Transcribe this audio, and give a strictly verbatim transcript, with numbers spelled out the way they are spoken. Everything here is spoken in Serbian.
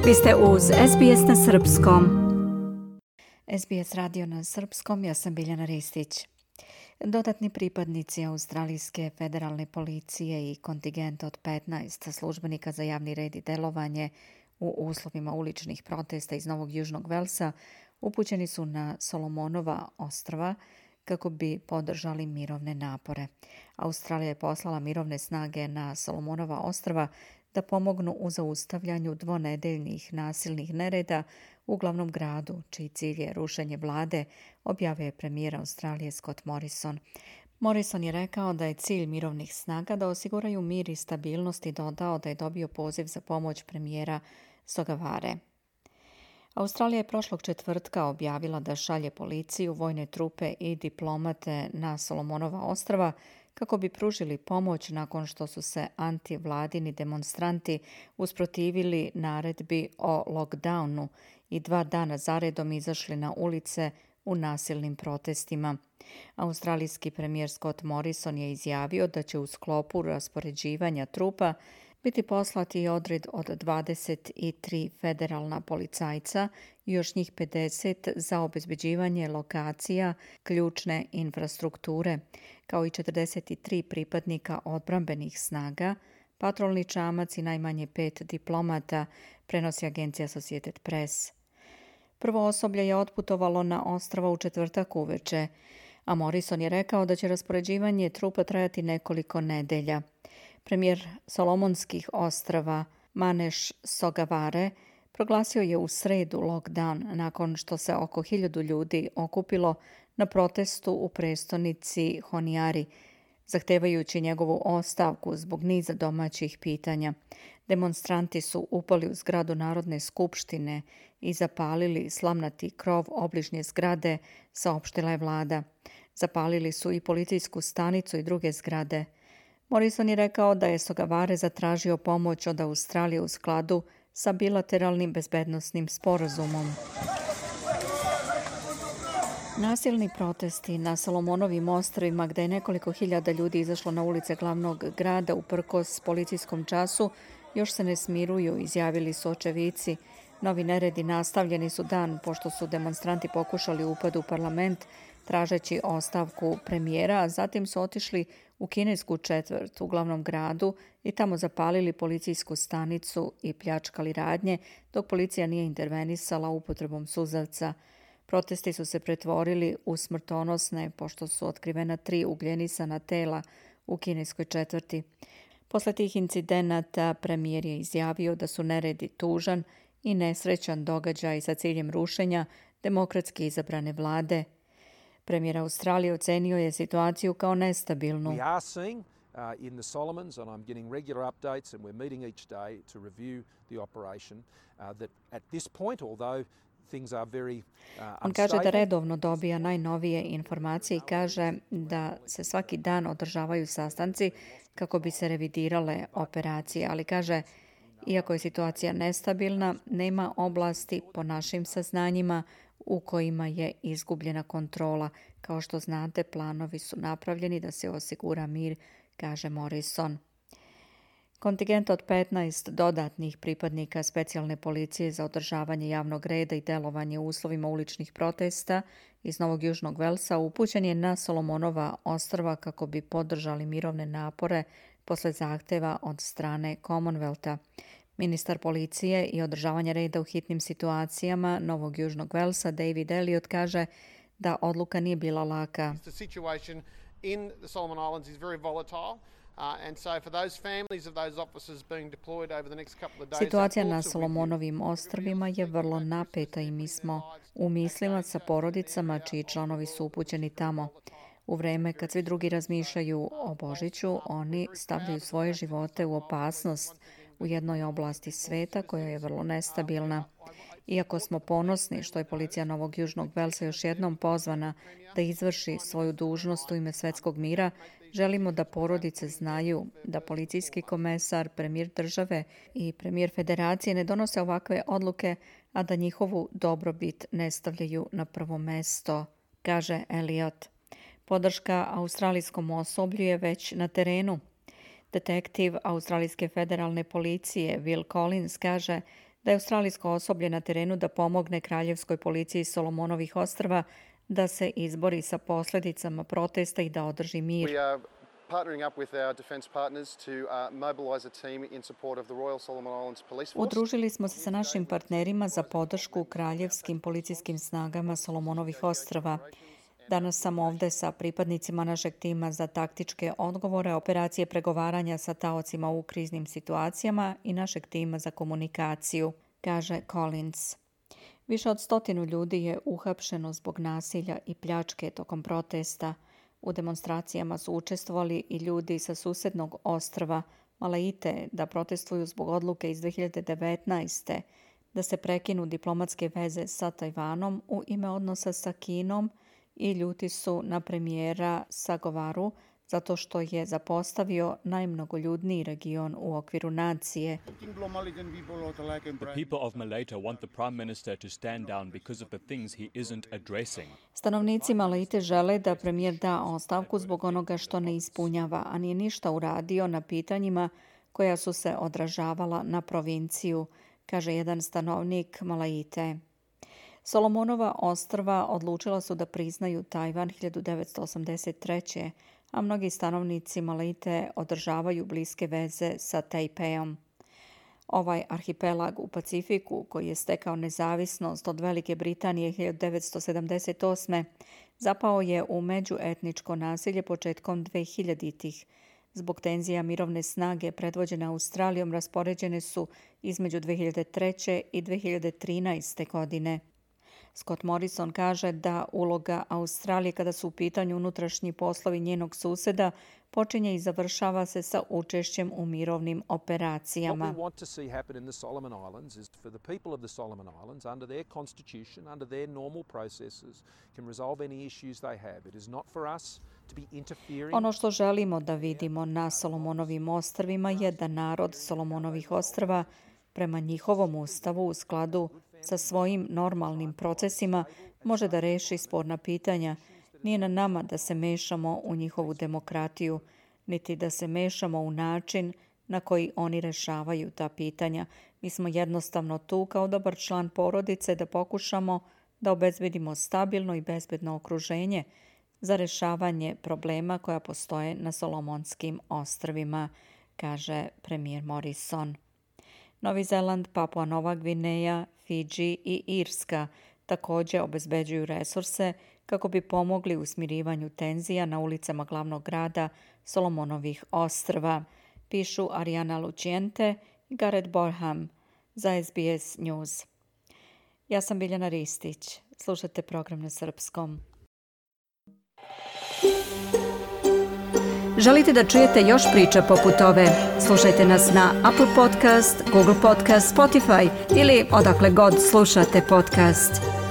Vi ste uz S B S na srpskom. S B S radio na srpskom, ja sam Biljana Ristić. Dodatni pripadnici Australijske federalne policije i kontingent od petnaest službenika za javni red i delovanje u uslovima uličnih protesta iz Novog Južnog Velsa upućeni su na Solomonova ostrva kako bi podržali mirovne napore. Australija je poslala mirovne snage na Solomonova ostrva da pomognu u zaustavljanju dvonedeljnih nasilnih nereda u glavnom gradu, čiji cilj je rušenje vlade, objavio je premijer Australije Scott Morrison. Morrison je rekao da je cilj mirovnih snaga da osiguraju mir i stabilnost i dodao da je dobio poziv za pomoć premijera Sogavare. Australija je prošlog četvrtka objavila da šalje policiju, vojne trupe i diplomate na Solomonova ostrva kako bi pružili pomoć nakon što su se antivladini demonstranti usprotivili naredbi o lockdownu i dva dana zaredom izašli na ulice u nasilnim protestima. Australijski premijer Scott Morrison je izjavio da će u sklopu raspoređivanja trupa biti poslati odred od dvadeset tri federalna policajca i još njih pedeset za obezbeđivanje lokacija ključne infrastrukture, kao i četrdeset tri pripadnika odbrambenih snaga, patrolni čamac i najmanje pet diplomata, prenosi agencija Associated Press. Prvo osoblje je otputovalo na ostrva u četvrtak uveče, a Morrison je rekao da će raspoređivanje trupa trajati nekoliko nedelja. Premijer Solomonskih ostrva Maneš Sogavare proglasio je u sredu lockdown nakon što se oko hiljadu ljudi okupilo na protestu u prestonici Honiari, zahtevajući njegovu ostavku zbog niza domaćih pitanja. Demonstranti su upali u zgradu Narodne skupštine i zapalili slamnati krov obližnje zgrade, saopštila je vlada. Zapalili su i policijsku stanicu i druge zgrade. Morrison je rekao da je Sogavare zatražio pomoć od Australije u skladu sa bilateralnim bezbednosnim sporazumom. Nasilni protesti na Solomonovim ostrvima, gde je nekoliko hiljada ljudi izašlo na ulice glavnog grada uprkos policijskom času, još se ne smiruju, izjavili su očevici. Novi neredi nastavljeni su dan pošto su demonstranti pokušali upad u parlament tražeći ostavku premijera, a zatim su otišli u kinesku četvrt u glavnom gradu i tamo zapalili policijsku stanicu i pljačkali radnje, dok policija nije intervenisala upotrebom suzavca. Protesti su se pretvorili u smrtonosne pošto su otkrivena tri ugljenisana tela u kineskoj četvrti. Posle tih incidenata premijer je izjavio da su neredi tužan i nesrećan događaj sa ciljem rušenja demokratski izabrane vlade. Premijer Australije ocenio je situaciju kao nestabilnu. We are seeing uh, in the Solomons, and I'm getting regular updates and we're meeting each day to review the operation, uh, that at this point, although things are very uh, On kaže da redovno dobija najnovije informacije i kaže da se svaki dan održavaju sastanci kako bi se revidirale operacije, ali kaže iako je situacija nestabilna, nema oblasti po našim saznanjima u kojima je izgubljena kontrola. Kao što znate, planovi su napravljeni da se osigura mir, kaže Morrison. Kontingent od petnaest dodatnih pripadnika specijalne policije za održavanje javnog reda i delovanje u uslovima uličnih protesta iz Novog Južnog Velsa upućen je na Solomonova ostrva kako bi podržali mirovne napore posle zahteva od strane Commonwealtha. Ministar policije i održavanja reda u hitnim situacijama Novog Južnog Velsa David Elliott kaže da odluka nije bila laka. The situation in the Solomon Islands is very volatile. Uh, and so for those families of those officers being deployed over the next couple of days. Situacija na Solomonovim ostrvima je vrlo napeta i mi smo u mislima sa porodicama čiji članovi su upućeni tamo. U vreme kad svi drugi razmišljaju o Božiću, oni stavljaju svoje živote u opasnost u jednoj oblasti sveta koja je vrlo nestabilna. Iako smo ponosni što je policija Novog Južnog Velsa još jednom pozvana da izvrši svoju dužnost u ime svetskog mira, želimo da porodice znaju da policijski komesar, premijer države i premijer federacije ne donose ovakve odluke, a da njihovu dobrobit ne stavljaju na prvo mesto, kaže Elliott. Podrška australijskom osoblju je već na terenu. Detektiv Australijske federalne policije Will Collins kaže da je australijsko osoblje na terenu da pomogne kraljevskoj policiji Solomonovih ostrva da se izbori sa posljedicama protesta i da održi mir. We are partnering up with our defence partners to uh, mobilise a team in support of the Royal Solomon Islands Police Force. Udružili smo se sa našim partnerima za podršku kraljevskim policijskim snagama Solomonovih ostrva. Danas sam ovdje sa pripadnicima našeg tima za taktičke odgovore, operacije pregovaranja sa taocima u kriznim situacijama i našeg tima za komunikaciju, kaže Collins. Više od stotinu ljudi je uhapšeno zbog nasilja i pljačke tokom protesta. U demonstracijama su učestvovali i ljudi sa susednog ostrva Malaite da protestuju zbog odluke iz dve hiljade devetnaeste da se prekinu diplomatske veze sa Tajvanom u ime odnosa sa Kinom i ljuti su na premijera Sagovaru zato što je zapostavio najmnogoljudniji region u okviru nacije. The people of Malaita want the Prime Minister to stand down because of the things he isn't addressing. Stanovnici Malaite žele da premijer da ostavku zbog onoga što ne ispunjava, a nije ništa uradio na pitanjima koja su se odražavala na provinciju, kaže jedan stanovnik Malaite. Solomonova ostrva odlučila su da priznaju Tajvan hiljadu devetsto osamdeset treće a mnogi stanovnici Malaite održavaju bliske veze sa Tajpeom. Ovaj arhipelag u Pacifiku, koji je stekao nezavisnost od Velike Britanije hiljadu devetsto sedamdeset osme zapao je u međuetničko nasilje početkom dvehiljaditih. Zbog tenzija mirovne snage predvođene Australijom raspoređene su između dve hiljade treće i dve hiljade trinaeste. godine. Scott Morrison kaže da uloga Australije kada su u pitanju unutrašnji poslovi njenog suseda počinje i završava se sa učešćem u mirovnim operacijama. What we want to see happen in the Solomon Islands is for the people of the Solomon Islands under their constitution, under their normal processes, can resolve any issues they have. It is not for us to be interfering. Ono što želimo da vidimo na Solomonovim ostrvima je da narod Solomonovih ostrva prema njihovom ustavu u skladu sa svojim normalnim procesima može da reši sporna pitanja. Nije na nama da se mešamo u njihovu demokratiju, niti da se mešamo u način na koji oni rešavaju ta pitanja. Mi smo jednostavno tu kao dobar član porodice da pokušamo da obezbedimo stabilno i bezbedno okruženje za rešavanje problema koja postoje na Solomonskim ostrvima, kaže premijer Morrison. Novi Zeland, Papua Nova Gvineja, Fidži i Irska također obezbeđuju resurse kako bi pomogli u smirivanju tenzija na ulicama glavnog grada Solomonovih ostrva, pišu Ariana Luciente i Gareth Borham za S B S News. Ja sam Biljana Ristić. Slušajte program na srpskom. Želite da čujete još priča poput ove? Slušajte nas na Apple Podcast, Google Podcast, Spotify ili odakle god slušate podcast.